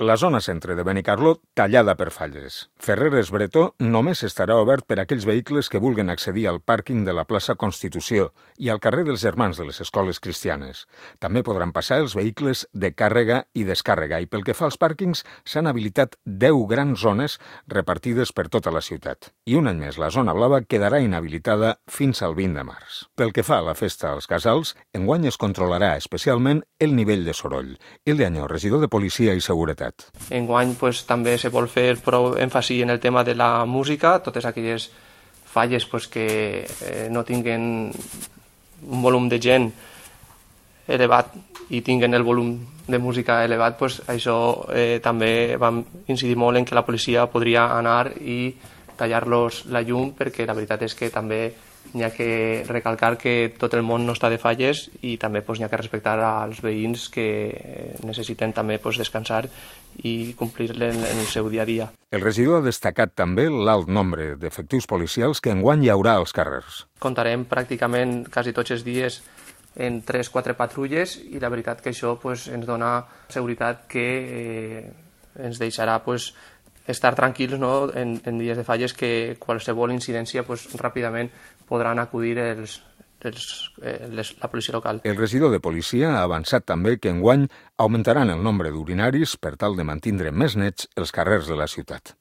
La zona centre de Benicarló tallada per falles. Ferreres Bretó només estarà obert per a aquells vehicles que vulguen accedir al pàrquing de la plaça Constitució i al carrer dels Germans de les Escoles Cristianes. També podran passar els vehicles de càrrega i descàrrega i pel que fa als pàrquings s'han habilitat 10 grans zones repartides per tota la ciutat. I un any més la zona blava quedarà inhabilitada fins al 20 de març. Pel que fa a la festa als casals, enguany es controlarà especialment el nivell de soroll. Ilde Añó, regidor de Policia i Seguretat. Enguany també se vol fer prou èmfasi en el tema de la música, totes aquelles falles que no tinguen un volum de gent elevat i tinguen el volum de música elevat, això també vam incidir molt en que la policia podria anar i tallar-los la llum, perquè la veritat és que també n'hi ha que recalcar que tot el món no està de falles i també n'hi ha que respectar als veïns que necessiten també descansar i complir en el seu dia a dia. El regidor ha destacat també l'alt nombre d'efectius policials que enguany hi haurà als carrers. Comptarem pràcticament quasi tots els dies en 3-4 patrulles i la veritat que això ens dona seguretat que ens deixarà estar tranquils en dies de falles, que qualsevol incidència ràpidament podran acudir la policia local. El regidor de Policia ha avançat també que enguany augmentaran el nombre d'urinaris per tal de mantindre més nets els carrers de la ciutat.